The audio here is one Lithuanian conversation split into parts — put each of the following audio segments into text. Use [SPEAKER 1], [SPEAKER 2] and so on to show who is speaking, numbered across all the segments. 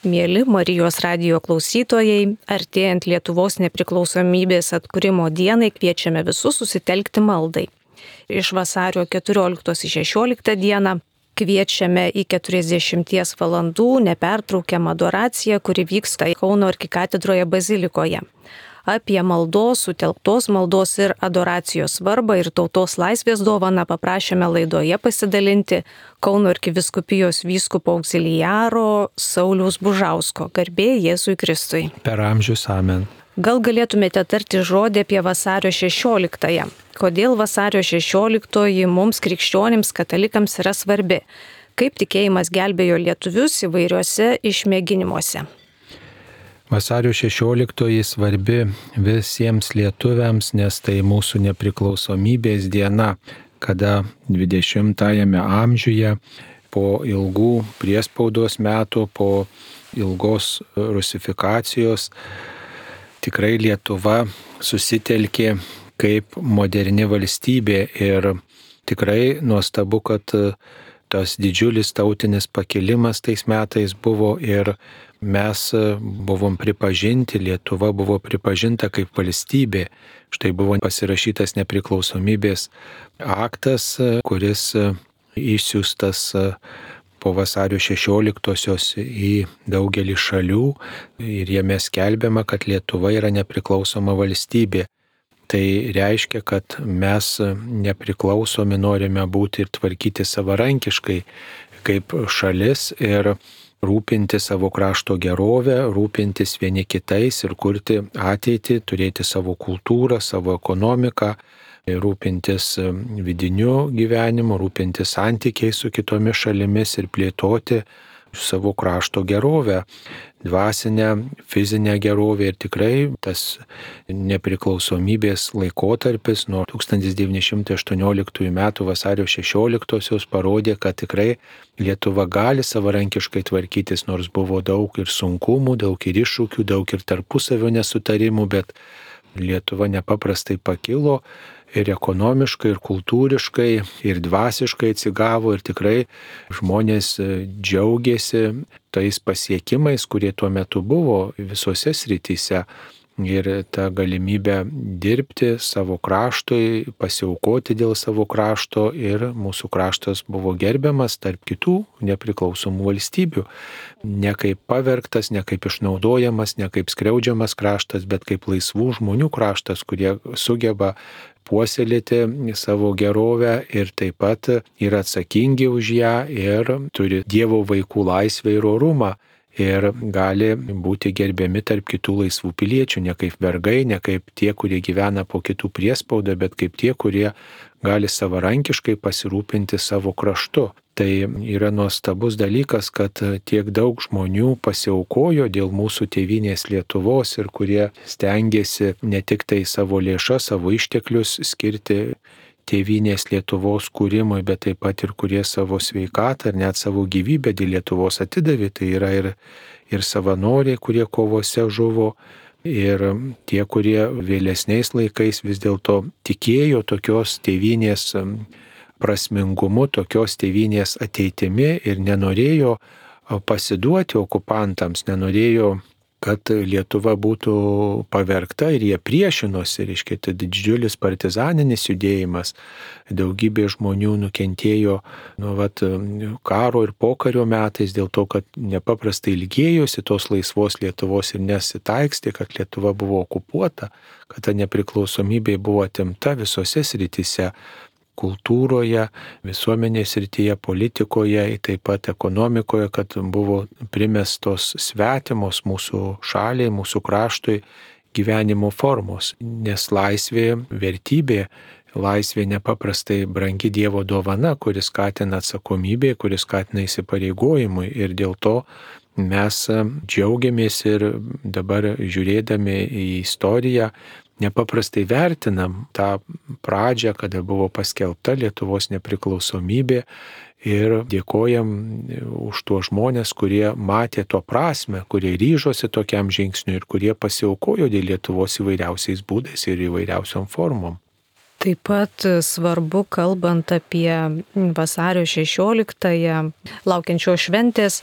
[SPEAKER 1] Mieli Marijos radijo klausytojai, artėjant Lietuvos nepriklausomybės atkūrimo dienai kviečiame visus susitelkti maldai. Iš vasario 14-16 dieną kviečiame į 40 valandų nepertraukiamą adoraciją, kuri vyksta Kauno arkikatedroje bazilikoje. Apie maldos, sutelktos maldos ir adoracijos svarbą ir tautos laisvės dovaną paprašėme laidoje pasidalinti Kauno arkivyskupijos vyskupo auxiliaro Sauliaus Bužausko. Garbė Jėzui Kristui.
[SPEAKER 2] Per amžius amen.
[SPEAKER 1] Gal galėtumėte tarti žodį apie vasario 16-ąją? Kodėl vasario 16-oji mums krikščionims katalikams yra svarbi? Kaip tikėjimas gelbėjo lietuvius įvairiuose išmėginimuose?
[SPEAKER 2] Vasario 16 svarbi visiems lietuviams, nes tai mūsų nepriklausomybės diena, kada 20-ame amžiuje po ilgų priespaudos metų, po ilgos rusifikacijos tikrai Lietuva susitelkė kaip moderni valstybė ir tikrai nuostabu, kad tas didžiulis tautinis pakilimas tais metais buvo ir mes buvom pripažinti, Lietuva buvo pripažinta kaip valstybė. Štai buvo pasirašytas nepriklausomybės aktas, kuris išsiųstas po vasario 16-osios į daugelį šalių ir jame skelbiama, kad Lietuva yra nepriklausoma valstybė. Tai reiškia, kad mes nepriklausomi norime būti ir tvarkyti savarankiškai kaip šalis ir rūpinti savo krašto gerovę, rūpintis vieni kitais ir kurti ateitį, turėti savo kultūrą, savo ekonomiką, rūpintis vidiniu gyvenimu, rūpintis santykiais su kitomis šalimis ir plėtoti savo krašto gerovę, dvasinę, fizinę gerovę ir tikrai tas nepriklausomybės laikotarpis nuo 1918 m. vasario 16-osios parodė, kad tikrai Lietuva gali savarankiškai tvarkytis, nors buvo daug ir sunkumų, daug ir iššūkių, daug ir tarpusavio nesutarimų, bet Lietuva nepaprastai pakilo ir ekonomiškai, ir kultūriškai, ir dvasiškai atsigavo ir tikrai žmonės džiaugiasi tais pasiekimais, kurie tuo metu buvo visose srityse. Ir ta galimybė dirbti savo kraštui, pasiaukoti dėl savo krašto ir mūsų kraštas buvo gerbiamas tarp kitų nepriklausomų valstybių. Ne kaip pavergtas, ne kaip išnaudojamas, ne kaip skriaudžiamas kraštas, bet kaip laisvų žmonių kraštas, kurie sugeba puoselėti savo gerovę ir taip pat yra atsakingi už ją ir turi Dievo vaikų laisvę ir orumą. Ir gali būti gerbiami tarp kitų laisvų piliečių, ne kaip vergai, ne kaip tie, kurie gyvena po kitų priespaudą, bet kaip tie, kurie gali savarankiškai pasirūpinti savo kraštu. Tai yra nuostabus dalykas, kad tiek daug žmonių pasiaukojo dėl mūsų tėvynės Lietuvos ir kurie stengiasi ne tik tai savo lėšas, savo išteklius skirti tėvynės Lietuvos kūrimui, bet taip pat ir kurie savo sveikatą ir net savo gyvybę dėl Lietuvos atidavė. Tai yra ir savanoriai, kurie kovose žuvo, ir tie, kurie vėlesniais laikais vis dėlto tikėjo tokios tėvynės prasmingumu, tokios tėvynės ateitimi ir nenorėjo pasiduoti okupantams, nenorėjo, kad Lietuva būtų pavergta ir jie priešinosi, reiškia, tai didžiulis partizaninis judėjimas. Daugybė žmonių nukentėjo karo ir pokario metais dėl to, kad nepaprastai ilgėjosi tos laisvos Lietuvos ir nesitaikstė, kad Lietuva buvo okupuota, kad ta nepriklausomybė buvo atimta visose srityse. Kultūroje, visuomenės srityje, politikoje, taip pat ekonomikoje, kad buvo primestos svetimos mūsų šaliai, mūsų kraštui gyvenimo formos. Nes laisvė, vertybė, laisvė nepaprastai brangi Dievo dovana, kuris skatina atsakomybė, kuris skatina įsipareigojimui ir dėl to mes džiaugiamės ir dabar žiūrėdami į istoriją nepaprastai vertinam tą pradžią, kada buvo paskelbta Lietuvos nepriklausomybė ir dėkojam už tuos žmonės, kurie matė to prasmę, kurie ryžosi tokiam žingsniui ir kurie pasiaukojo dėl Lietuvos įvairiausiais būdais ir įvairiausiom formom.
[SPEAKER 1] Taip pat svarbu, kalbant apie vasario 16-ąją, laukiančios šventės,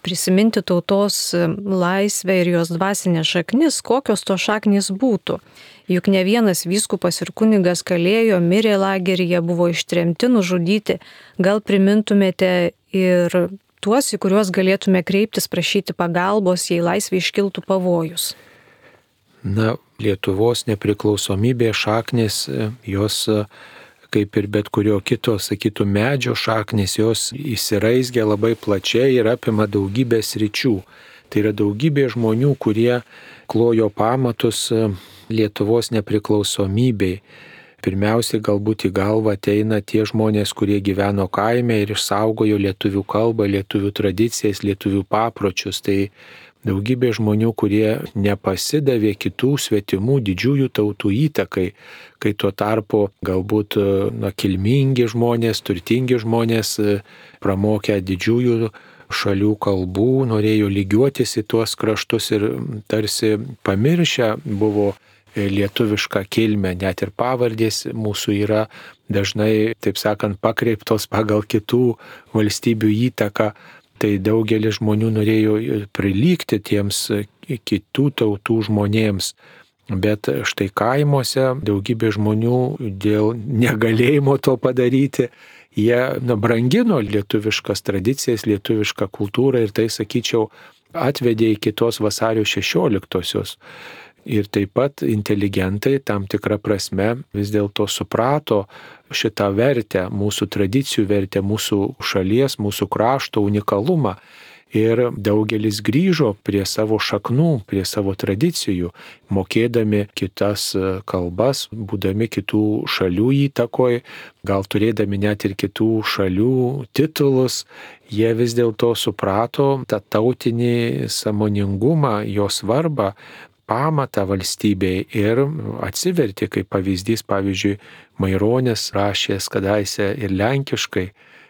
[SPEAKER 1] prisiminti tautos laisvę ir jos dvasinę šaknis, kokios to šaknis būtų. Juk ne vienas vyskupas ir kunigas kalėjo, mirė lageryje, buvo ištremti, nužudyti. Gal primintumėte ir tuos, į kuriuos galėtume kreiptis, prašyti pagalbos, jei laisvė iškiltų pavojus?
[SPEAKER 2] Na, Lietuvos nepriklausomybės šaknis, jos, kaip ir bet kurio kito, sakytų, medžio šaknis, jos įsiraizgia labai plačiai ir apima daugybę sričių. Tai yra daugybė žmonių, kurie klojo pamatus Lietuvos nepriklausomybei. Pirmiausiai galbūt į galvą ateina tie žmonės, kurie gyveno kaime ir išsaugojo lietuvių kalbą, lietuvių tradicijas, lietuvių papročius. Tai daugybė žmonių, kurie nepasidavė kitų svetimų didžiųjų tautų įtakai, kai tuo tarpu galbūt kilmingi žmonės, turtingi žmonės, pramokę didžiųjų šalių kalbų, norėjo lygiuotis į tuos kraštus ir tarsi pamiršę buvo lietuvišką kilmę, net ir pavardės mūsų yra dažnai, taip sakant, pakreiptos pagal kitų valstybių įtaką. Tai daugelis žmonių norėjo prilygti tiems kitų tautų žmonėms, bet štai kaimuose daugybė žmonių dėl negalėjimo to padaryti, jie brangino lietuviškas tradicijas, lietuvišką kultūrą ir tai, sakyčiau, atvedė iki tos vasario 16-osios. Ir taip pat inteligentai tam tikrą prasme vis dėlto suprato šitą vertę, mūsų tradicijų vertę, mūsų šalies, mūsų krašto unikalumą. Ir daugelis grįžo prie savo šaknų, prie savo tradicijų, mokėdami kitas kalbas, būdami kitų šalių įtakoj, gal turėdami net ir kitų šalių titulus. Jie vis dėlto suprato tą tautinį sąmoningumą, jo svarbą, pamatą valstybei ir atsivertė kaip pavyzdys, pavyzdžiui, Maironis rašęs kadaise ir lenkiškai,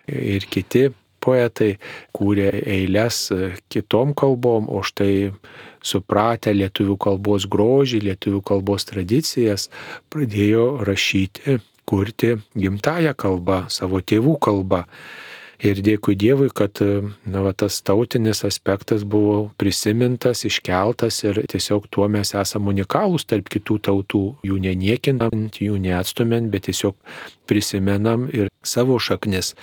[SPEAKER 2] ir kiti poetai kūrė eiles kitom kalbom, o štai supratę lietuvių kalbos grožį, lietuvių kalbos tradicijas, pradėjo rašyti, kurti gimtąją kalbą, savo tėvų kalbą. Ir dėkui Dievui, kad tas tautinis aspektas buvo prisimintas, iškeltas ir tiesiog tuo mes esame unikalūs tarp kitų tautų, jų neniekinant, jų neatstumint, bet tiesiog prisimenam ir savo šaknis.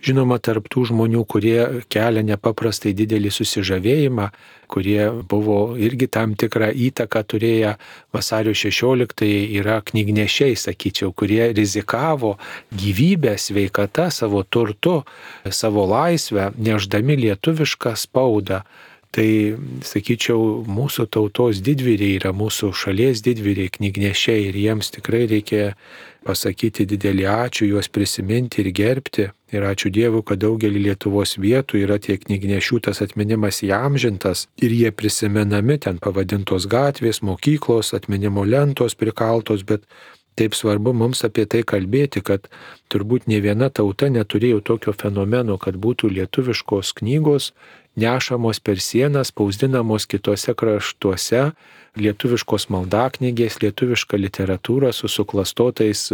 [SPEAKER 2] Žinoma, tarp tų žmonių, kurie kelia nepaprastai didelį susižavėjimą, kurie buvo irgi tam tikrą įtaką turėję vasario 16-ąjį, yra knygnešiai, sakyčiau, kurie rizikavo gyvybę, sveikatą, savo turtu, savo laisvę, nešdami lietuvišką spaudą. Tai, sakyčiau, mūsų tautos didvyriai yra mūsų šalies didvyriai, knygnešiai ir jiems tikrai reikia pasakyti didelį ačiū, juos prisiminti ir gerbti. Ir ačiū Dievui, kad daugelį Lietuvos vietų yra tie knygnešių tas atminimas įamžintas ir jie prisimenami, ten pavadintos gatvės, mokyklos, atminimo lentos prikaltos, bet taip svarbu mums apie tai kalbėti, kad turbūt ne viena tauta neturėjo tokio fenomeno, kad būtų lietuviškos knygos nešamos per sienas, spausdinamos kitose kraštuose, lietuviškos maldaknygės, lietuviška literatūra su suklastotais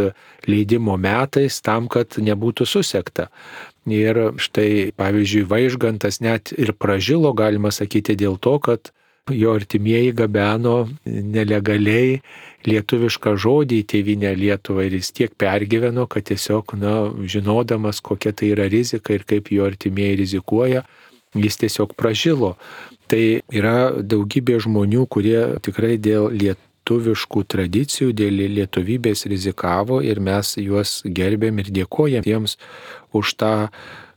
[SPEAKER 2] leidimo metais tam, kad nebūtų susekta. Ir štai, pavyzdžiui, Vaižgantas net ir pražilo, galima sakyti, dėl to, kad jo artimieji gabeno nelegaliai lietuvišką žodį į tėvynę Lietuvą ir jis tiek pergyveno, kad tiesiog, žinodamas, kokia tai yra rizika ir kaip jo artimieji rizikuoja, jis tiesiog pražilo. Tai yra daugybė žmonių, kurie tikrai dėl lietuviškų tradicijų, dėl lietuvybės rizikavo ir mes juos gerbėm ir dėkojam jiems už tą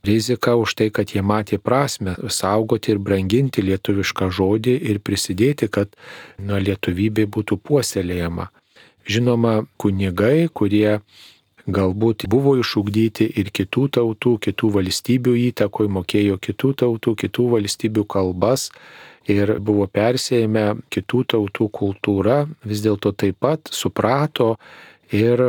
[SPEAKER 2] riziką, už tai, kad jie matė prasme saugoti ir branginti lietuvišką žodį ir prisidėti, kad lietuvybė būtų puoselėjama. Žinoma, kunigai, kurie galbūt buvo išugdyti ir kitų tautų, kitų valstybių įtakoj, mokėjo kitų tautų, kitų valstybių kalbas ir buvo persėjami kitų tautų kultūra, vis dėlto taip pat suprato ir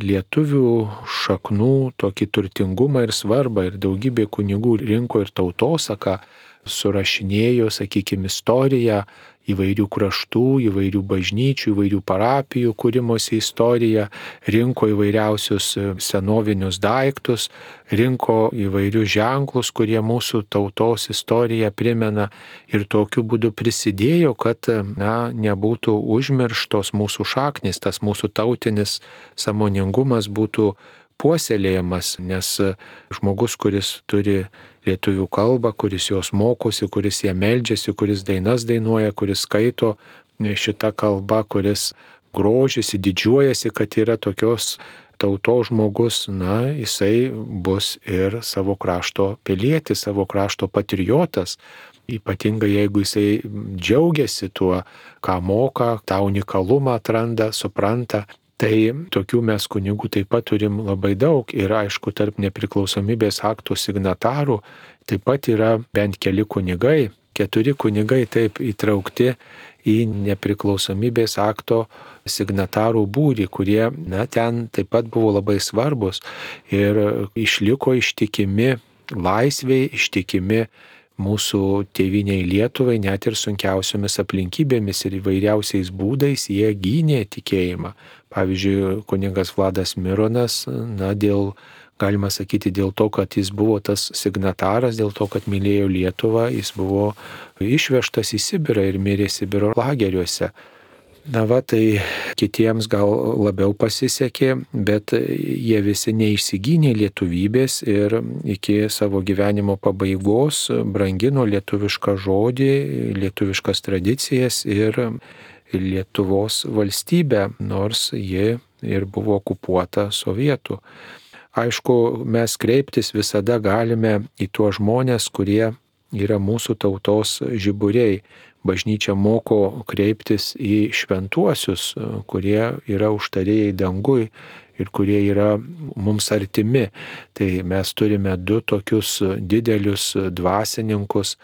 [SPEAKER 2] lietuvių šaknų tokį turtingumą ir svarbą ir daugybė kunigų rinko ir tautosaką surašinėjo, sakykime, istoriją įvairių kraštų, įvairių bažnyčių, įvairių parapijų kūrimosi istoriją, rinko įvairiausius senovinius daiktus, rinko įvairius ženklus, kurie mūsų tautos istoriją primena ir tokiu būdu prisidėjo, kad nebūtų užmirštos mūsų šaknys, tas mūsų tautinis sąmoningumas būtų puoselėjamas, nes žmogus, kuris turi lietuvių kalbą, kuris jos mokosi, kuris ją meldžiasi, kuris dainas dainuoja, kuris skaito šitą kalbą, kuris grožisi, didžiuojasi, kad yra tokios tautos žmogus, jisai bus ir savo krašto pilietis, savo krašto patriotas. Ypatingai jeigu jisai džiaugiasi tuo, ką moka, tą unikalumą atranda, supranta. Tai tokių mes kunigų taip pat turim labai daug ir aišku, tarp nepriklausomybės akto signatarų taip pat yra bent keli kunigai, 4 kunigai taip įtraukti į nepriklausomybės akto signatarų būrį, kurie ten taip pat buvo labai svarbus ir išliko ištikimi laisviai, ištikimi mūsų tėvynei Lietuvai, net ir sunkiausiomis aplinkybėmis ir įvairiausiais būdais jie gynė tikėjimą. Pavyzdžiui, kunigas Vladas Mironas, galima sakyti, dėl to, kad jis buvo tas signataras, dėl to, kad mylėjo Lietuvą, jis buvo išvežtas į Sibirą ir mirė Sibiro lageriuose. Tai kitiems gal labiau pasisekė, bet jie visi neišsigynė lietuvybės ir iki savo gyvenimo pabaigos brangino lietuvišką žodį, lietuviškas tradicijas ir Lietuvos valstybę, nors ji ir buvo okupuota sovietų. Aišku, mes kreiptis visada galime į tuos žmonės, kurie yra mūsų tautos žiburiai. Bažnyčia moko kreiptis į šventuosius, kurie yra užtarėjai dangui ir kurie yra mums artimi. Tai mes turime 2 tokius didelius dvasininkus,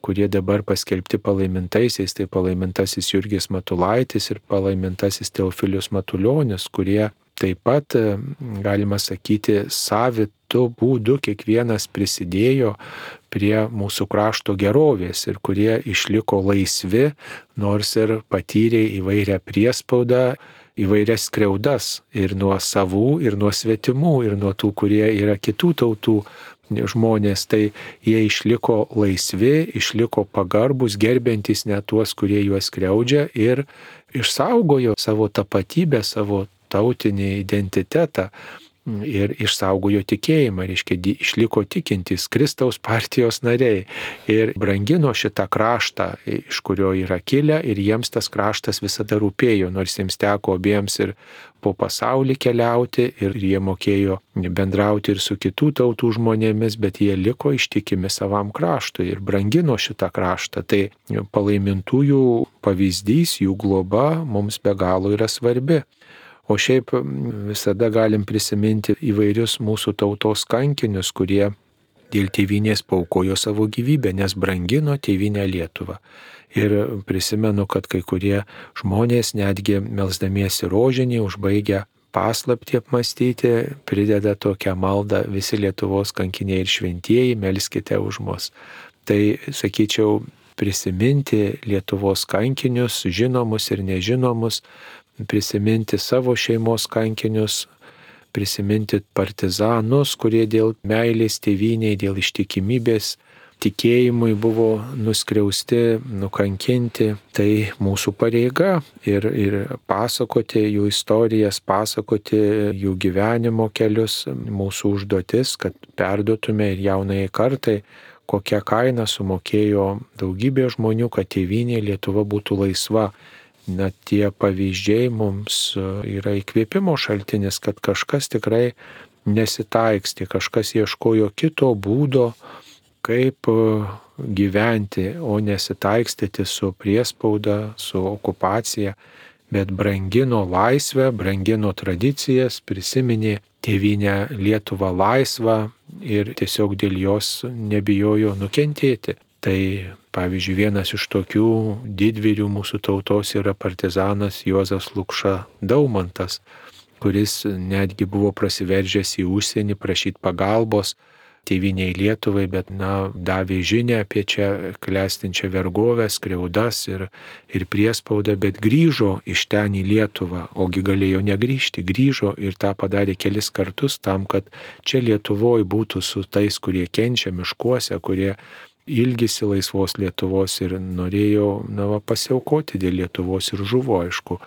[SPEAKER 2] kurie dabar paskelbti palaimintaisiais, tai palaimintasis Jurgis Matulaitis ir palaimintasis Teofilius Matulionis, kurie taip pat, galima sakyti, savitu būdu kiekvienas prisidėjo prie mūsų krašto gerovės ir kurie išliko laisvi, nors ir patyrė įvairią priespaudą, įvairias skriaudas ir nuo savų, ir nuo svetimų, ir nuo tų, kurie yra kitų tautų žmonės, tai jie išliko laisvi, išliko pagarbus, gerbiantys net tuos, kurie juos skriaudžia ir išsaugojo savo tapatybę, savo tautinį identitetą ir išsaugojo tikėjimą, reiškia, išliko tikintys Kristaus partijos nariai ir brangino šitą kraštą, iš kurio yra kilę ir jiems tas kraštas visada rūpėjo, nors jiems teko abiems ir po pasaulį keliauti ir jie mokėjo bendrauti ir su kitų tautų žmonėmis, bet jie liko ištikimi savam kraštui ir brangino šitą kraštą. Tai palaimintųjų pavyzdys, jų globa mums be galo yra svarbi. O šiaip visada galim prisiminti įvairius mūsų tautos kankinius, kurie dėl tėvynės paaukojo savo gyvybę, nes brangino tėvynę Lietuvą. Ir prisimenu, kad kai kurie žmonės netgi melsdamiesi rožinį, užbaigę paslaptį apmastyti, prideda tokią maldą: visi Lietuvos kankiniai ir šventieji, melskite už mus. Tai, sakyčiau, prisiminti Lietuvos kankinius, žinomus ir nežinomus, prisiminti savo šeimos kankinius, prisiminti partizanus, kurie dėl meilės tėvynei, dėl ištikimybės tikėjimui buvo nuskriausti, nukankinti. Tai mūsų pareiga ir pasakoti jų istorijas, pasakoti jų gyvenimo kelius, mūsų užduotis, kad perduotume ir jaunai kartai, kokią kainą sumokėjo daugybė žmonių, kad tėvynė Lietuva būtų laisva. Net tie pavyzdžiai mums yra įkvėpimo šaltinis, kad kažkas tikrai nesitaikstė, kažkas ieškojo kito būdo, kaip gyventi, o nesitaikstyti su priespauda, su okupacija, bet brangino laisvę, brangino tradicijas, prisiminė tėvynę Lietuvą laisvą ir tiesiog dėl jos nebijojo nukentėti. Tai pavyzdžiui, vienas iš tokių didvyrių mūsų tautos yra partizanas Juozas Lukša Daumantas, kuris netgi buvo prasiveržęs į užsienį prašyti pagalbos tėviniai Lietuvai, bet, davė žinią apie čia klestinčią vergovę, skriaudas ir priespaudą, bet grįžo iš ten į Lietuvą, ogi galėjo negrįžti, grįžo ir tą padarė kelis kartus tam, kad čia Lietuvoje būtų su tais, kurie kenčia miškuose, kurie ilgisi laisvos Lietuvos ir norėjo pasiaukoti dėl Lietuvos ir žuvo, aišku,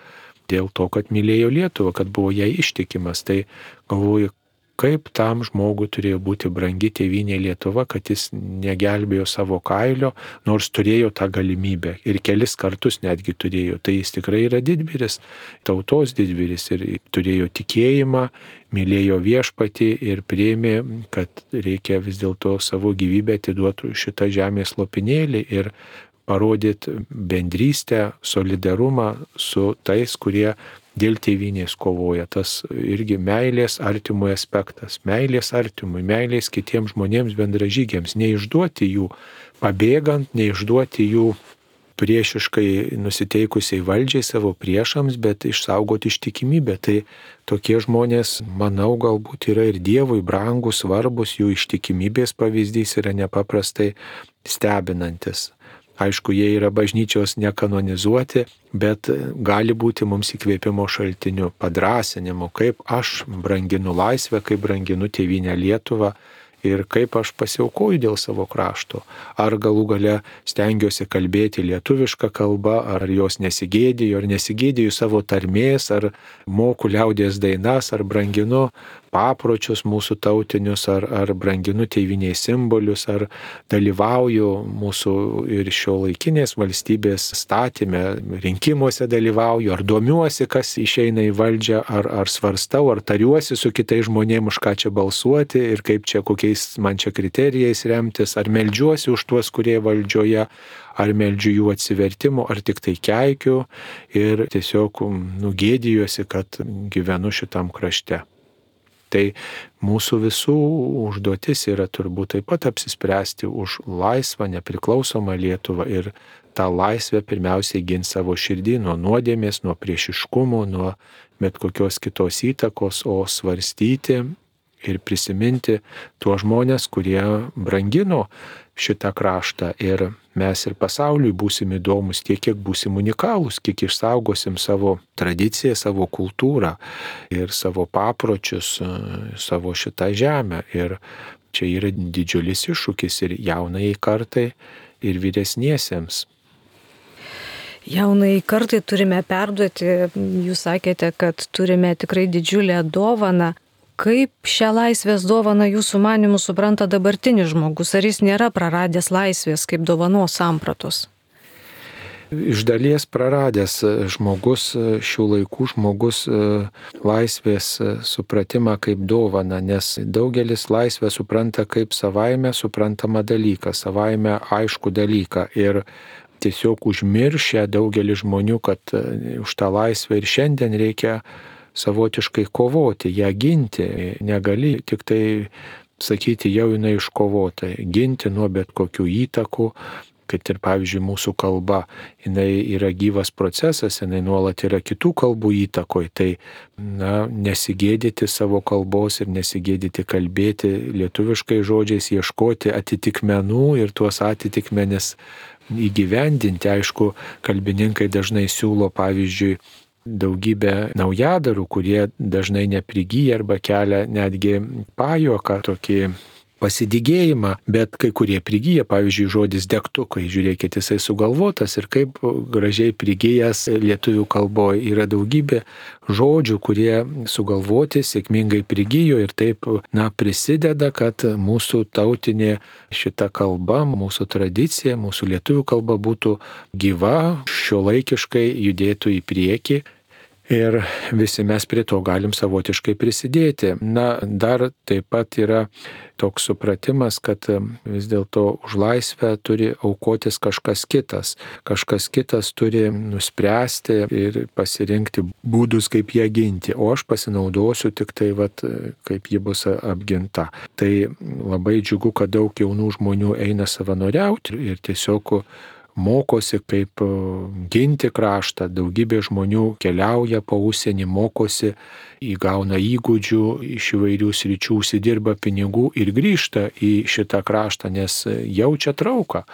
[SPEAKER 2] dėl to, kad mylėjo Lietuvą, kad buvo jai ištikimas. Tai galvoju, kaip tam žmogui turėjo būti brangi tėvynė Lietuva, kad jis negelbėjo savo kailio, nors turėjo tą galimybę ir kelis kartus netgi turėjo. Tai jis tikrai yra didvyris, tautos didvyris ir turėjo tikėjimą, mylėjo viešpatį ir priėmė, kad reikia vis dėlto savo gyvybę atiduoti šitą žemės lopinėlį ir parodyti bendrystę, solidarumą su tais, kurie dėl tėvynės kovoja. Tas irgi meilės artimui aspektas. Meilės artimui, meilės kitiems žmonėms bendražygiams. Neišduoti jų pabėgant, neišduoti jų priešiškai nusiteikusiai valdžiai savo priešams, bet išsaugoti ištikimybę. Tai tokie žmonės, manau, galbūt yra ir Dievui brangus, svarbus, jų ištikimybės pavyzdys yra nepaprastai stebinantis. Aišku, jie yra bažnyčios nekanonizuoti, bet gali būti mums įkvėpimo šaltiniu, padrasinimu, kaip aš branginu laisvę, kaip branginu tėvynę Lietuvą ir kaip aš pasiaukoju dėl savo krašto. Ar galų gale stengiuosi kalbėti lietuvišką kalbą, ar jos nesigėdiju, ar nesigėdiju savo tarmės, ar moku liaudies dainas, ar branginu papročius mūsų tautinius, ar branginu tėvynės simbolius, ar dalyvauju mūsų ir šiuolaikinės valstybės statyme, rinkimuose dalyvauju, ar domiuosi, kas išeina į valdžią, ar svarstau, ar tariuosi su kitais žmonėmis, už ką čia balsuoti ir kaip čia, kokiais man čia kriterijais remtis, ar meldžiuosi už tuos, kurie valdžioje, ar meldžiu jų atsivertimo, ar tik tai keikiu ir tiesiog nugėdijuosi, kad gyvenu šitam krašte. Tai mūsų visų užduotis yra turbūt taip pat apsispręsti už laisvą, nepriklausomą Lietuvą ir tą laisvę pirmiausiai ginti savo širdį nuo nuodėmės, nuo priešiškumo, nuo bet kokios kitos įtakos, o svarstyti ir prisiminti tuos žmonės, kurie brangino šitą kraštą ir mes ir pasauliui būsim įdomus tiek, kiek būsim unikalūs, kiek išsaugosim savo tradiciją, savo kultūrą ir savo papročius, savo šitą žemę. Ir čia yra didžiulis iššūkis ir jaunai kartai, ir vyresniesiems.
[SPEAKER 1] Jaunai kartai turime perduoti, jūs sakėte, kad turime tikrai didžiulę dovaną. Kaip šią laisvės dovaną jūsų manimų supranta dabartinis žmogus? Ar jis nėra praradęs laisvės kaip dovanos sampratos?
[SPEAKER 2] Iš dalies praradęs žmogus, šių laikų žmogus laisvės supratimą kaip dovaną, nes daugelis laisvę supranta kaip savaime suprantamą dalyką, savaime aišku dalyką ir tiesiog užmiršę daugelis žmonių, kad už tą laisvę ir šiandien reikia savotiškai kovoti, ją ginti. Negali tik tai sakyti, jau jinai iškovota, ginti nuo bet kokių įtakų, kad ir pavyzdžiui mūsų kalba, jinai yra gyvas procesas, jinai nuolat yra kitų kalbų įtakoj, tai nesigėdyti savo kalbos ir nesigėdyti kalbėti lietuviškai žodžiais, ieškoti atitikmenų ir tuos atitikmenis įgyvendinti. Aišku, kalbininkai dažnai siūlo pavyzdžiui daugybę naujadarų, kurie dažnai neprigyja arba kelia netgi pajuoką, tokį pasidygėjimą, bet kai kurie prigyja, pavyzdžiui, žodis degtukai, žiūrėkit, jisai sugalvotas ir kaip gražiai prigyjęs lietuvių kalboje. Yra daugybė žodžių, kurie sugalvoti, sėkmingai prigyjo ir taip, prisideda, kad mūsų tautinė šita kalba, mūsų tradicija, mūsų lietuvių kalba būtų gyva, šiuolaikiškai judėtų į priekį. Ir visi mes prie to galim savotiškai prisidėti. Dar taip pat yra toks supratimas, kad vis dėlto už laisvę turi aukotis kažkas kitas. Kažkas kitas turi nuspręsti ir pasirinkti būdus, kaip ją ginti. O aš pasinaudosiu tik tai, kaip ji bus apginta. Tai labai džiugu, kad daug jaunų žmonių eina savanoriauti ir tiesiog mokosi, kaip ginti kraštą. Daugybė žmonių keliauja po užsienį, mokosi, įgauna įgūdžių iš įvairių sričių, užsidirba pinigų ir grįžta į šitą kraštą, nes jaučia trauką.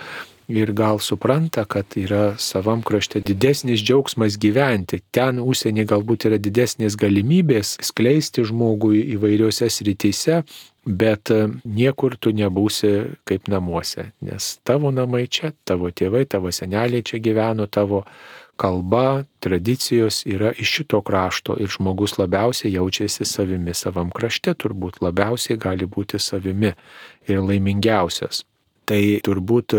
[SPEAKER 2] Ir gal supranta, kad yra savam krašte didesnis džiaugsmas gyventi. Ten užsienį galbūt yra didesnės galimybės skleisti žmogui įvairiose srityse, bet niekur tu nebūsi kaip namuose. Nes tavo namai čia, tavo tėvai, tavo seneliai čia gyveno, tavo kalba, tradicijos yra iš šito krašto ir žmogus labiausiai jaučiasi savimi. Savam krašte turbūt labiausiai gali būti savimi ir laimingiausias. Tai turbūt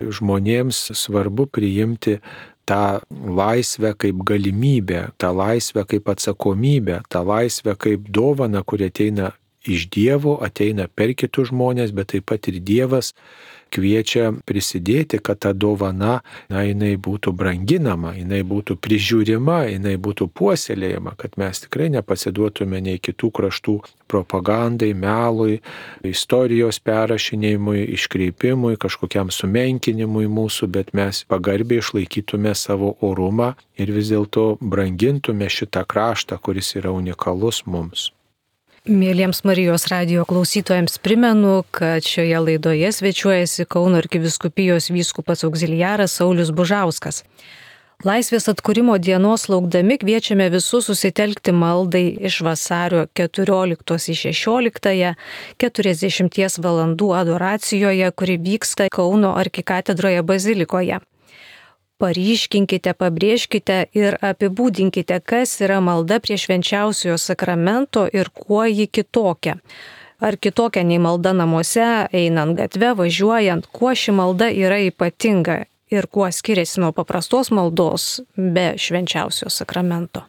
[SPEAKER 2] žmonėms svarbu priimti tą laisvę kaip galimybę, tą laisvę kaip atsakomybę, tą laisvę kaip dovaną, kuri ateina iš Dievo, ateina per kitus žmonės, bet taip pat ir Dievas kviečia prisidėti, kad ta dovana, jinai būtų branginama, jinai būtų prižiūrima, jinai būtų puoselėjama, kad mes tikrai nepasiduotume nei kitų kraštų propagandai, melui, istorijos perrašinėjimui, iškreipimui, kažkokiam sumenkinimui mūsų, bet mes pagarbiai išlaikytume savo orumą ir vis dėlto brangintume šitą kraštą, kuris yra unikalus mums.
[SPEAKER 1] Mėlyjams Marijos radijo klausytojams primenu, kad šioje laidoje svečiuojasi Kauno arkivyskupijos vyskupas auxiliaras Saulius Bužauskas. Laisvės atkūrimo dienos laukdami kviečiame visus susitelkti maldai iš vasario 14-16 40 valandų adoracijoje, kuri vyksta Kauno arkikatedroje bazilikoje. Paryškinkite, pabrėžkite ir apibūdinkite, kas yra malda prie švenčiausiojo sakramento ir kuo ji kitokia. Ar kitokia nei malda namuose, einant gatve, važiuojant, kuo ši malda yra ypatinga ir kuo skiriasi nuo paprastos maldos be švenčiausiojo sakramento.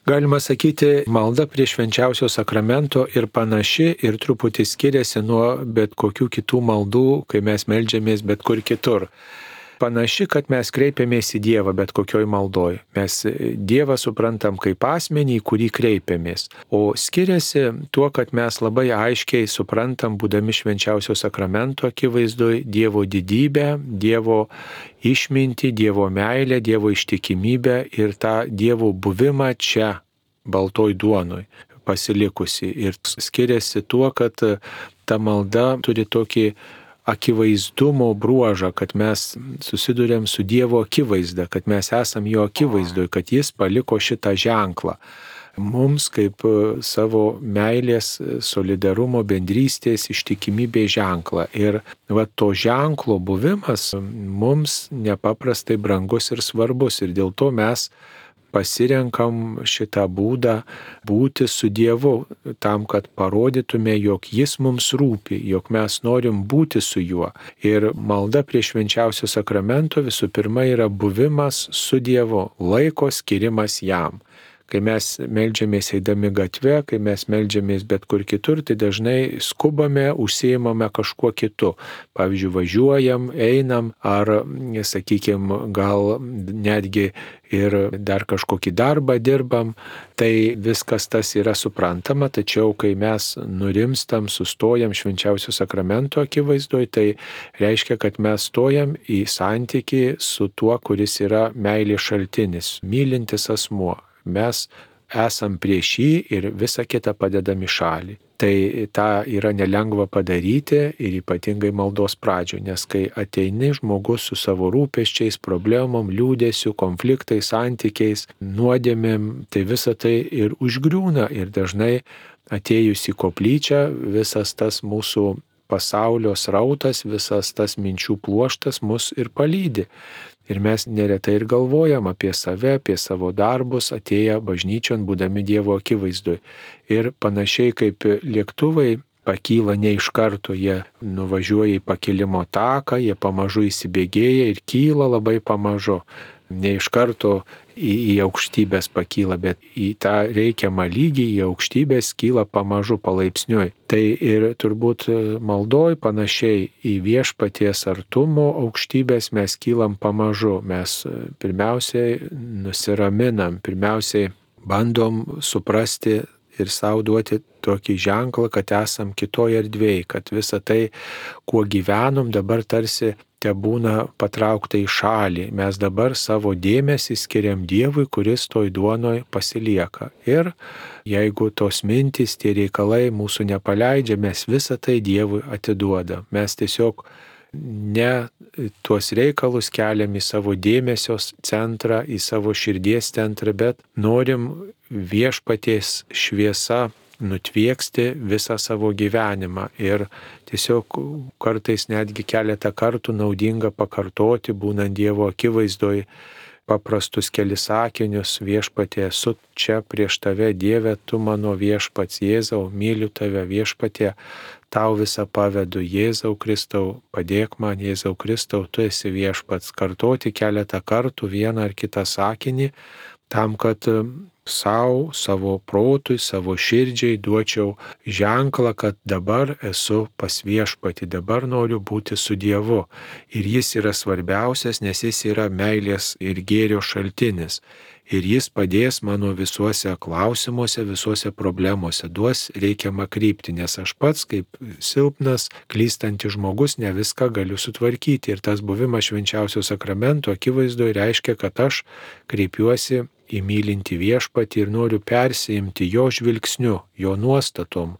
[SPEAKER 2] Galima sakyti, malda prie švenčiausio sakramento ir panaši ir truputį skiriasi nuo bet kokių kitų maldų, kai mes meldžiamės bet kur kitur. Panaši, kad mes kreipiamės į Dievą bet kokioj maldoj. Mes Dievą suprantam kaip asmenį, į kurį kreipiamės. O skiriasi tuo, kad mes labai aiškiai suprantam, būdami švenčiausio sakramento akivaizdoj, Dievo didybę, Dievo išmintį, Dievo meilę, Dievo ištikimybę ir tą Dievo buvimą čia, baltoj duonoj, pasilikusi. Ir skiriasi tuo, kad ta malda turi tokį akivaizdumo bruožą, kad mes susidurėm su Dievo akivaizda, kad mes esam jo akivaizdoj, kad jis paliko šitą ženklą. Mums kaip savo meilės, solidarumo, bendrystės, ištikimybės ženklą. Ir to ženklo buvimas mums nepaprastai brangus ir svarbus. Ir dėl to mes pasirenkam šitą būdą būti su Dievu, tam, kad parodytume, jog jis mums rūpi, jog mes norim būti su juo. Ir malda prie švenčiausio sakramento visų pirma yra buvimas su Dievu, laiko skirimas jam. Kai mes meldžiamės eidami gatve, kai mes meldžiamės bet kur kitur, tai dažnai skubame, užsiimame kažkuo kitu. Pavyzdžiui, važiuojam, einam ar, sakykime, gal netgi ir dar kažkokį darbą dirbam. Tai viskas tas yra suprantama, tačiau kai mes nurimstam, sustojam švenčiausio sakramento akivaizdoj, tai reiškia, kad mes stojam į santykį su tuo, kuris yra meilės šaltinis, mylintis asmuo. Mes esam prieš jį ir visą kitą padedam į šalį. Tai tą yra nelengva padaryti ir ypatingai maldos pradžioje, nes kai ateini žmogus su savo rūpesčiais, problemom, liūdėsiu, konfliktais, santykiais, nuodėmėm, tai visa tai ir užgriūna ir dažnai atėjus į koplyčią visas tas mūsų pasaulio srautas, visas tas minčių pluoštas mus ir palydi. Ir mes neretai ir galvojam apie save, apie savo darbus, atėję bažnyčion, būdami Dievo akivaizdoj. Ir panašiai kaip lėktuvai pakyla ne iš karto, jie nuvažiuoja į pakilimo taką, jie pamažu įsibėgėja ir kyla labai pamažu. Ne iš karto į aukštybės pakyla, bet į tą reikiamą lygį, į aukštybės kyla pamažu, palaipsniui. Tai ir turbūt maldoj panašiai į viešpaties artumo aukštybės mes kylam pamažu. Mes pirmiausiai nusiraminam, pirmiausiai bandom suprasti ir sau duoti tokį ženklą, kad esam kitoje erdvėje, kad visa tai, kuo gyvenom, dabar tarsi te būna patraukta į šalį. Mes dabar savo dėmesį skiriam Dievui, kuris toj duonoj pasilieka. Ir jeigu tos mintys, tie reikalai mūsų nepaleidžia, mes visą tai Dievui atiduodam. Mes tiesiog ne tuos reikalus keliam į savo dėmesio centrą, į savo širdies centrą, bet norim viešpaties šviesa nutvieksti visą savo gyvenimą. Ir tiesiog kartais netgi keletą kartų naudinga pakartoti, būnant Dievo akivaizdoj, paprastus kelis sakinius: viešpatie, esu čia prieš tave, Dieve, tu mano viešpats, Jėzau, myliu tave, viešpatie, tau visą pavedu, Jėzau Kristau, padėk man, Jėzau Kristau, tu esi viešpats. Kartoti keletą kartų vieną ar kitą sakinį, tam, kad savo protui, savo širdžiai duočiau ženklą, kad dabar esu pas viešpatį, dabar noriu būti su Dievu. Ir jis yra svarbiausias, nes jis yra meilės ir gėrio šaltinis. Ir jis padės mano visuose klausimuose, visuose problemuose, duos reikiamą kryptį, nes aš pats kaip silpnas, klystantis žmogus ne viską galiu sutvarkyti. Ir tas buvimas švenčiausio sakramento akivaizdoje reiškia, kad aš kreipiuosi į mylintį viešpatį ir noriu persiimti jo žvilgsniu, jo nuostatom,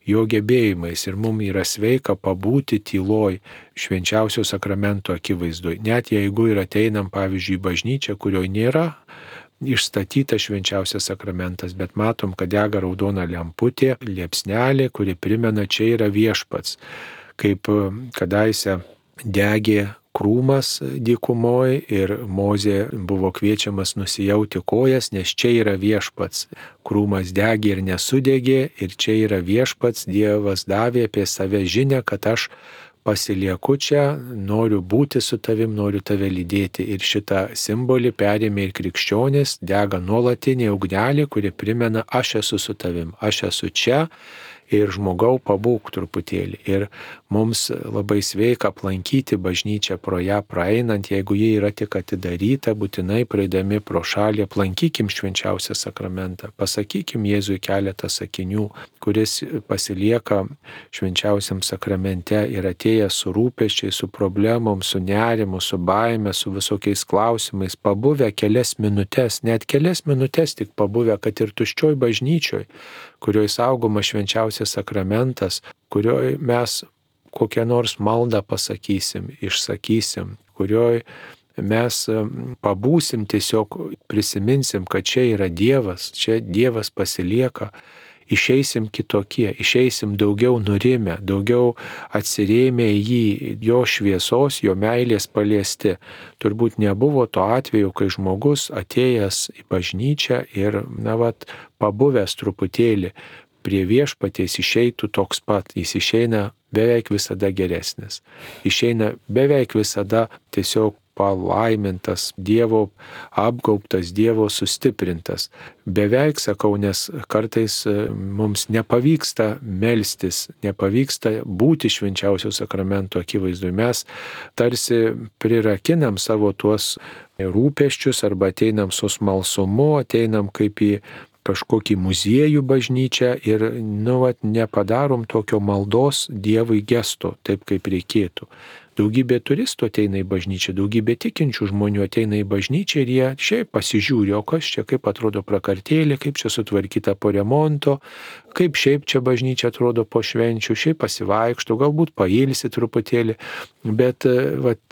[SPEAKER 2] jo gebėjimais. Ir mums yra sveika pabūti tyloj švenčiausio sakramento akivaizdoje. Net jeigu ir ateinam, pavyzdžiui, į bažnyčią, kurioje nėra išstatytas švenčiausias sakramentas, bet matom, kad dega raudona lemputė, liepsnelė, kuri primena, čia yra viešpats. Kaip kadaise degė krūmas dykumoje ir Mozė buvo kviečiamas nusijauti kojas, nes čia yra viešpats. Krūmas degė ir nesudegė, ir čia yra viešpats. Dievas davė apie save žinią, kad aš pasilieku čia, noriu būti su tavim, noriu tave lydėti. Ir šitą simbolį perėmė ir krikščionys, dega nuolatinė ugnelė, kuri primena, aš esu su tavim, aš esu čia. Ir žmogau, pabūk truputėlį. Ir mums labai sveika aplankyti bažnyčią pro ją praeinant, jeigu jie yra tik atidaryta, būtinai praeidami pro šalį aplankykim švenčiausią sakramentą, pasakykim Jėzui keletą sakinių, kuris pasilieka švenčiausiam sakramente ir atėjęs su rūpesčiai, su problemom, su nerimu, su baime, su visokiais klausimais, pabuvę kelias minutės, net kelias minutės tik pabuvę, kad ir tuščioj bažnyčioj, kurioje saugoma švenčiausias sakramentas, kurioje mes kokią nors maldą pasakysim, išsakysim, kurioje mes pabūsim, tiesiog prisiminsim, kad čia yra Dievas, čia Dievas pasilieka, išeisim kitokie, išeisim daugiau nurimę, daugiau atsirėmę į jį, jo šviesos, jo meilės paliesti. Turbūt nebuvo to atveju, kai žmogus atėjęs į bažnyčią ir, pabuvęs truputėlį prie viešpaties išeitų toks pat, jis išeina beveik visada geresnis. Išeina beveik visada tiesiog palaimintas, Dievo apgaubtas, Dievo sustiprintas. Beveik, sakau, nes kartais mums nepavyksta melstis, nepavyksta būti švenčiausio sakramento akivaizdoje. Mes tarsi prirakinam savo tuos rūpesčius arba ateinam su smalsumu, ateinam kaip į kažkokį muziejų bažnyčią ir nepadarom tokio maldos Dievui gesto, taip kaip reikėtų. Daugybė turistų ateina į bažnyčią, daugybė tikinčių žmonių ateina į bažnyčią ir jie šiaip pasižiūri, o kas čia, kaip atrodo prakartėlė, kaip čia sutvarkyta po remonto, kaip šiaip čia bažnyčia atrodo po švenčių, šiaip pasivaikšto, galbūt pailsi truputėlį, bet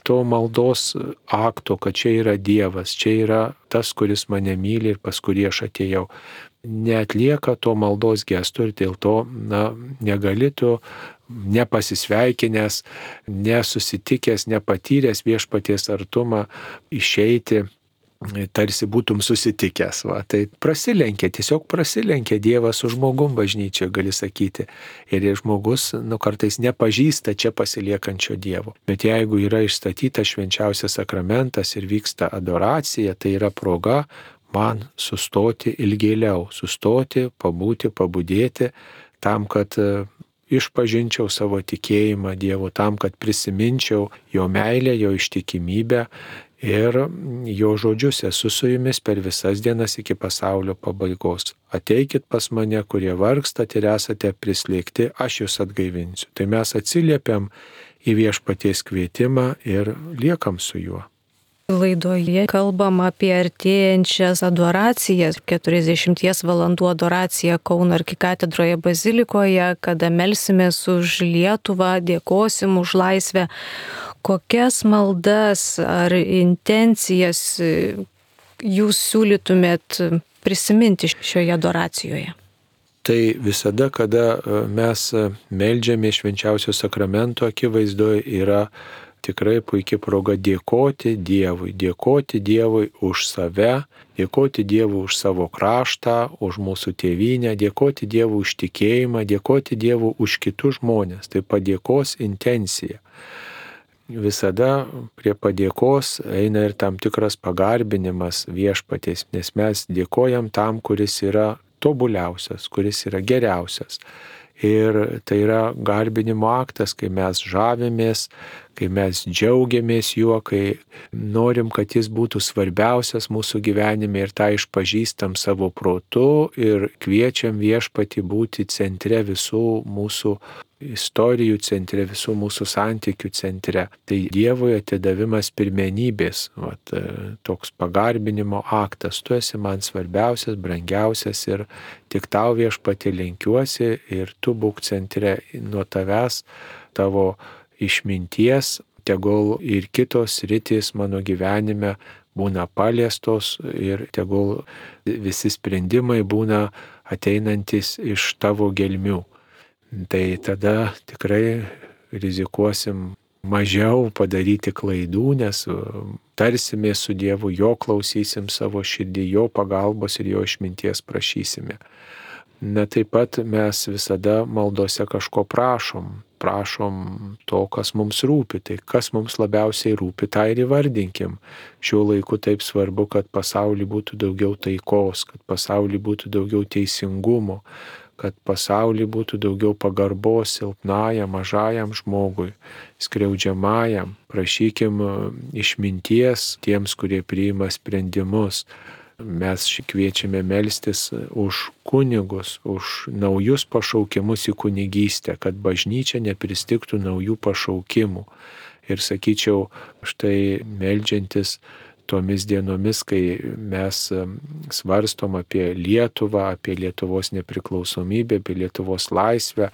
[SPEAKER 2] to maldos akto, kad čia yra Dievas, čia yra tas, kuris mane myli ir pas kurį aš atėjau, neatlieka to maldos gesto ir dėl to negali tu nepasisveikinęs, nesusitikęs, nepatyręs viešpaties artumą išeiti, tarsi būtum susitikęs. Tai tiesiog prasilenkia Dievas su žmogum bažnyčioje, gali sakyti. Ir žmogus kartais nepažįsta čia pasiliekančio Dievo. Bet jeigu yra išstatytas švenčiausias sakramentas ir vyksta adoracija, tai yra proga man sustoti ilgėliau, sustoti, pabūti, pabudėti, tam, kad išpažinčiau savo tikėjimą Dievu, tam, kad prisiminčiau jo meilę, jo ištikimybę ir jo žodžius: esu su jumis per visas dienas iki pasaulio pabaigos. Ateikit pas mane, kurie vargstat ir esate prislėgti, aš jūs atgaivinsiu. Tai mes atsiliepiam į viešpaties kvietimą ir liekam su juo.
[SPEAKER 1] Laidoje kalbam apie artėjančias adoracijas, 40 valandų adoraciją Kauno arkikatedroje bazilikoje, kada melsimės už Lietuvą, dėkosim už laisvę. Kokias maldas ar intencijas jūs siūlytumėt prisiminti šioje adoracijoje?
[SPEAKER 2] Tai visada, kada mes meldžiame švenčiausio sakramento akivaizdoje, yra tikrai puikia proga dėkoti Dievui už save, dėkoti Dievui už savo kraštą, už mūsų tėvynę, dėkoti Dievui už tikėjimą, dėkoti Dievui už kitus žmonės. Tai padėkos intencija. Visada prie padėkos eina ir tam tikras pagarbinimas viešpaties, nes mes dėkojam tam, kuris yra tobuliausias, kuris yra geriausias. Ir tai yra garbinimo aktas, kai mes žavimės, kai mes džiaugiamės juo, kai norim, kad jis būtų svarbiausias mūsų gyvenime ir tą išpažįstam savo protu ir kviečiam viešpatį būti centre visų mūsų istorijų centre, visų mūsų santykių centre. Tai Dievui atidavimas pirmenybės, toks pagarbinimo aktas. Tu esi man svarbiausias, brangiausias ir tik tau viešpatį lenkiuosi ir tu būk centre. Nuo tavęs, tavo išminties, tegul ir kitos sritys mano gyvenime būna paliestos ir tegul visi sprendimai būna ateinantis iš tavo gelmių. Tai tada tikrai rizikuosim mažiau padaryti klaidų, nes tarsimės su Dievu, jo klausysim savo širdį, jo pagalbos ir jo išminties prašysime. Taip pat mes visada maldose kažko prašom to, kas mums rūpi. Tai kas mums labiausiai rūpi, tą ir įvardinkim. Šiuo laiku taip svarbu, kad pasaulyje būtų daugiau taikos, kad pasaulyje būtų daugiau teisingumo, kad pasaulyje būtų daugiau pagarbos silpnajam, mažajam žmogui, skriaudžiamajam. Prašykim išminties tiems, kurie priima sprendimus. Mes kviečiame melstis už kunigus, už naujus pašaukimus į kunigystę, kad bažnyčia nepristigtų naujų pašaukimų. Ir sakyčiau, štai meldžiantis tomis dienomis, kai mes svarstom apie Lietuvą, apie Lietuvos nepriklausomybę, apie Lietuvos laisvę,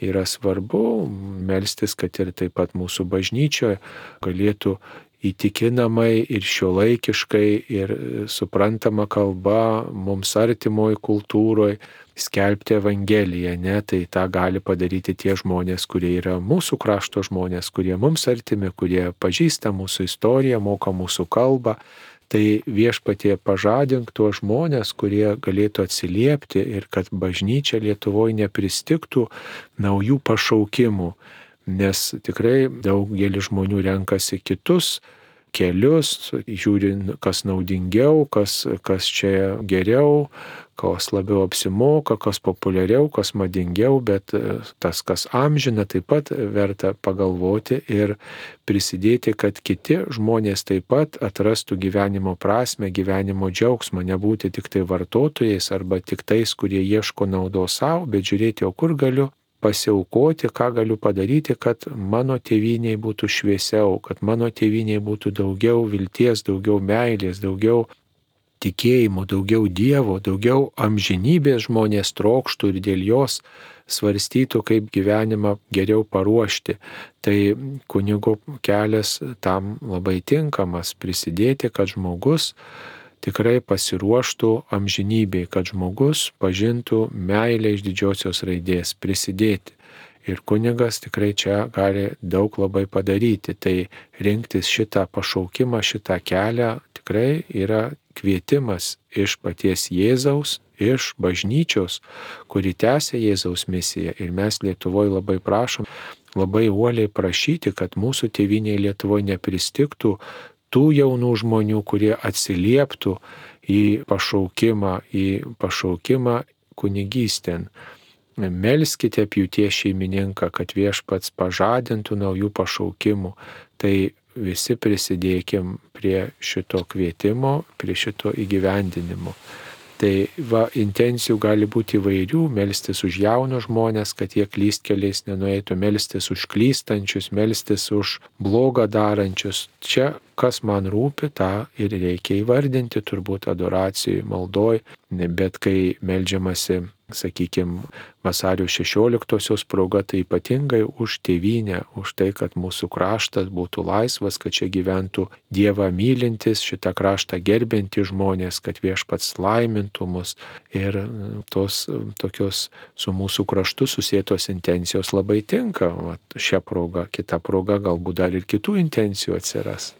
[SPEAKER 2] yra svarbu melstis, kad ir taip pat mūsų bažnyčioje galėtų įtikinamai ir šiuolaikiškai ir suprantama kalba mums artimoj kultūroje skelbti Evangeliją. Tai tą gali padaryti tie žmonės, kurie yra mūsų krašto žmonės, kurie mums artimi, kurie pažįsta mūsų istoriją, moka mūsų kalbą. Tai viešpatie pažadink tuos žmonės, kurie galėtų atsiliepti ir kad bažnyčia Lietuvoje nepristigtų naujų pašaukimų. Nes tikrai daugelis žmonių renkasi kitus kelius, žiūrint, kas naudingiau, kas čia geriau, kas labiau apsimoka, kas populiariau, kas madingiau, bet tas, kas amžina, taip pat verta pagalvoti ir prisidėti, kad kiti žmonės taip pat atrastų gyvenimo prasme, gyvenimo džiaugsmą, nebūti tik tai vartotojais arba tik tais, kurie ieško naudos savo, bet žiūrėti, o kur galiu pasiaukoti, ką galiu padaryti, kad mano tėvynei būtų šviesiau, kad mano tėvynei būtų daugiau vilties, daugiau meilės, daugiau tikėjimo, daugiau Dievo, daugiau amžinybės žmonės trokštų ir dėl jos svarstytų, kaip gyvenimą geriau paruošti. Tai kunigo kelias tam labai tinkamas prisidėti, kad žmogus tikrai pasiruoštų amžinybei, kad žmogus pažintų meilę iš didžiosios raidės, prisidėti. Ir kunigas tikrai čia gali daug labai padaryti. Tai rinktis šitą pašaukimą, šitą kelią tikrai yra kvietimas iš paties Jėzaus, iš bažnyčios, kuri tęsia Jėzaus misiją. Ir mes Lietuvoje labai prašom, labai uoliai prašyti, kad mūsų tėvynėje Lietuvoje nepristigtų tų jaunų žmonių, kurie atsilieptų į pašaukimą kunigystėn. Melskite pjūties šeimininką, kad viešpats pažadintų naujų pašaukimų. Tai visi prisidėkim prie šito kvietimo, prie šito įgyvendinimo. Tai intencijų gali būti įvairių, melstis už jaunus žmonės, kad jie klystkeliais nenueitų, melstis už klystančius, melstis už blogą darančius. Čia, kas man rūpi, tą ir reikia įvardinti, turbūt adoracijai, maldoj, bet kai meldžiamasi, sakykime, vasario 16-osios proga, tai ypatingai už tėvynę, už tai, kad mūsų kraštas būtų laisvas, kad čia gyventų Dievą mylintis, šitą kraštą gerbinti žmonės, kad Viešpats laimintų mus. Ir tos tokios su mūsų kraštu susietos intencijos labai tinka. Šią progą, kitą progą galbūt dar ir kitų intencijų atsiras.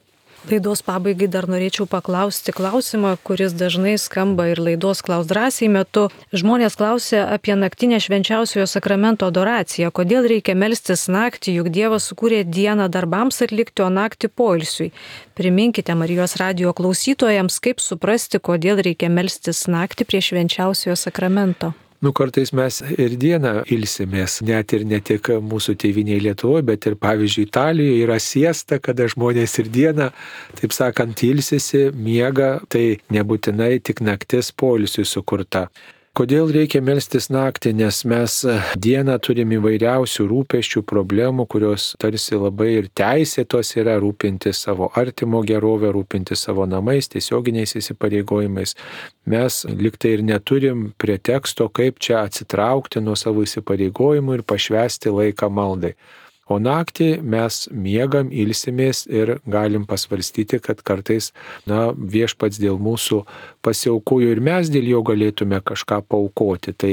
[SPEAKER 1] Laidos pabaigai dar norėčiau paklausti klausimą, kuris dažnai skamba ir laidos Klausk drąsiai metu. Žmonės klausia apie naktinę švenčiausiojo sakramento adoraciją. Kodėl reikia melstis naktį, juk Dievas sukūrė dieną darbams atlikti, o naktį poilsiui. Priminkite Marijos radijo klausytojams, kaip suprasti, kodėl reikia melstis naktį prie švenčiausiojo sakramento.
[SPEAKER 2] Kartais mes ir dieną ilsimės, net ir ne tik mūsų tėvynėje Lietuvoje, bet ir pavyzdžiui Italijoje yra siesta, kada žmonės ir dieną, taip sakant, ilsisi, miega, tai nebūtinai tik naktis poilsiui sukurta. Kodėl reikia melstis naktį, nes mes dieną turim įvairiausių rūpesčių, problemų, kurios tarsi labai ir teisėtos yra rūpintis savo artimo gerovę, rūpintis savo namais, tiesioginiais įsipareigojimais. Mes liktai ir neturim preteksto, kaip čia atsitraukti nuo savo įsipareigojimų ir pašvęsti laiką maldai. O naktį mes miegam, ilsimės ir galim pasvarstyti, kad kartais, Viešpats dėl mūsų pasiaukojo ir mes dėl jo galėtume kažką paaukoti. Tai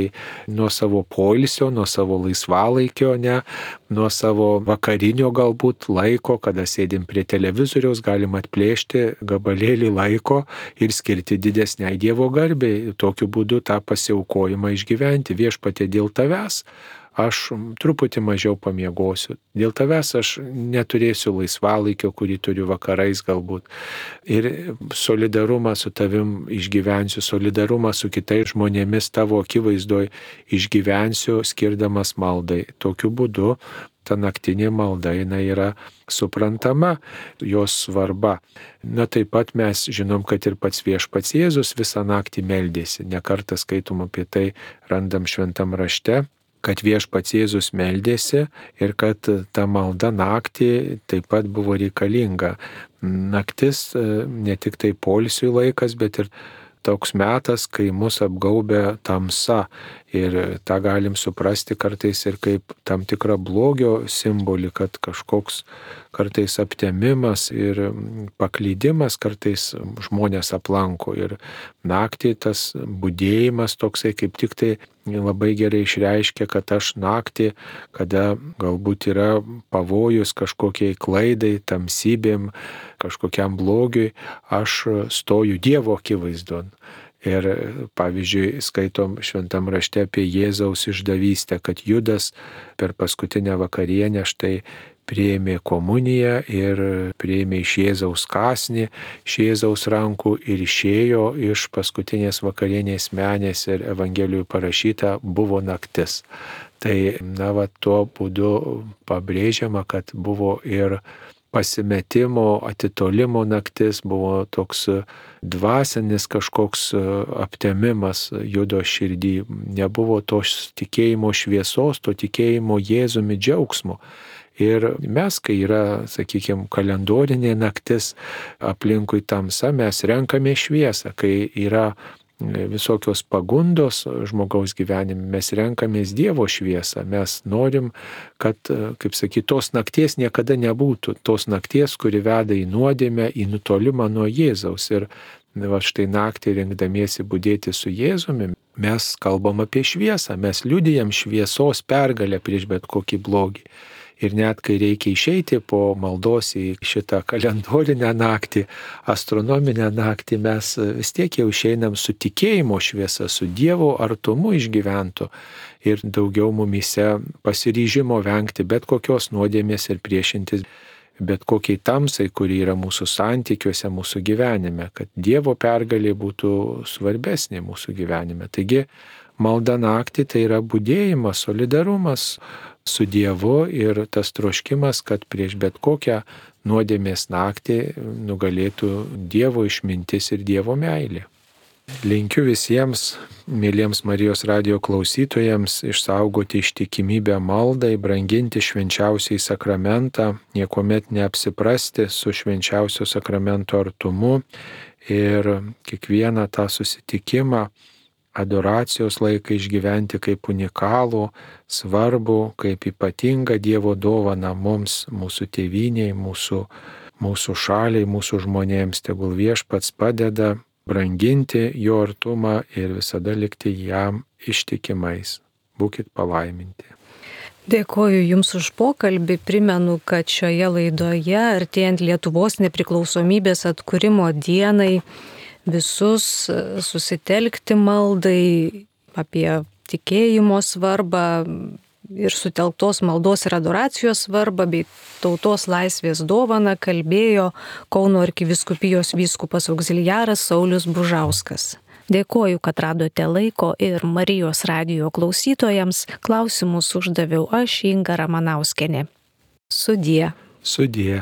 [SPEAKER 2] nuo savo poilsio, nuo savo laisvalaikio, nuo savo vakarinio galbūt laiko, kada sėdim prie televizoriaus, galim atplėšti gabalėlį laiko ir skirti didesniai Dievo garbei. Tokiu būdu tą pasiaukojimą išgyventi. Viešpatie, dėl tavęs aš truputį mažiau pamiegosiu. Dėl tavęs aš neturėsiu laisvalaikio, kurį turiu vakarais galbūt. Ir solidarumą su tavim išgyvensiu, solidarumą su kitais žmonėmis tavo akivaizdoj išgyvensiu, skirdamas maldai. Tokiu būdu ta naktinė malda yra suprantama, jos svarba. Taip pat mes žinom, kad ir pats Viešpats Jėzus visą naktį meldėsi. Ne kartą skaitom apie tai, randam šventam rašte, kad Viešpats Jėzus meldėsi ir kad ta malda naktį taip pat buvo reikalinga. Naktis ne tik tai poilsiui laikas, bet ir toks metas, kai mus apgaubia tamsa. Ir tą galim suprasti kartais ir kaip tam tikrą blogio simbolį, kad kažkoks kartais aptemimas ir paklydimas kartais žmonės aplanko. Ir naktį tas budėjimas toksai kaip tik tai labai gerai išreiškia, kad aš naktį, kada galbūt yra pavojus kažkokiai klaidai, tamsybėm, kažkokiam blogiui, aš stoju Dievo akivaizdon. Ir pavyzdžiui, skaitom šventam rašte apie Jėzaus išdavystę, kad Judas per paskutinę vakarienę štai priėmė komuniją ir priėmė iš Jėzaus kąsnį, iš Jėzaus rankų ir išėjo iš paskutinės vakarienės menės ir Evangelijoje parašyta buvo naktis. Tai, tuo būdu pabrėžiama, kad buvo ir pasimetimo, atitolimo naktis, buvo toks dvasinis kažkoks aptemimas Judo širdį. Nebuvo tos tikėjimo šviesos, to tikėjimo Jėzumi džiaugsmo. Ir mes, kai yra, sakykime, kalendorinė naktis, aplinkui tamsa, mes renkame šviesą. Kai yra visokios pagundos žmogaus gyvenime, mes renkamės Dievo šviesą. Mes norim, kad, kaip sakyti, tos nakties niekada nebūtų. Tos nakties, kuri veda į nuodėmę, į nutolimą nuo Jėzaus. Ir štai naktį rinkdamiesi budėti su Jėzumi, mes kalbam apie šviesą. Mes liudijam šviesos pergalę prieš bet kokį blogį. Ir net kai reikia išeiti po maldos į šitą kalendorinę naktį, astronominę naktį, mes vis tiek jau išeinam su tikėjimo šviesa, su Dievo artumu išgyventu ir daugiau mumyse pasiryžimo vengti bet kokios nuodėmės ir priešintis bet kokiai tamsai, kuri yra mūsų santykiuose, mūsų gyvenime, kad Dievo pergalė būtų svarbesnė mūsų gyvenime. Taigi, malda naktį tai yra budėjimas, solidarumas su Dievu ir tas troškimas, kad prieš bet kokią nuodėmės naktį nugalėtų Dievo išmintis ir Dievo meilė. Linkiu visiems, mėlyms Marijos radijo klausytojams, išsaugoti ištikimybę maldai, branginti švenčiausiai sakramentą, niekuomet neapsiprasti su švenčiausio sakramento artumu ir kiekvieną tą susitikimą, adoracijos laiką išgyventi kaip unikalų, svarbų, kaip ypatingą Dievo dovaną mums, mūsų tėvynei, mūsų šaliai, mūsų žmonėms. Tegul Viešpats padeda branginti jo artumą ir visada likti jam ištikimais. Būkit palaiminti.
[SPEAKER 1] Dėkoju Jums už pokalbį. Primenu, kad šioje laidoje, artėjant Lietuvos nepriklausomybės atkūrimo dienai, visus susitelkti maldai apie tikėjimo svarbą ir sutelktos maldos ir adoracijos svarbą bei tautos laisvės dovaną kalbėjo Kauno arkivyskupijos vyskupas augziliaras Saulius Bužauskas. Dėkoju, kad radote laiko ir Marijos radijo klausytojams. Klausimus uždaviau aš, Inga Ramanauskienė. Sudie.
[SPEAKER 2] Sudie.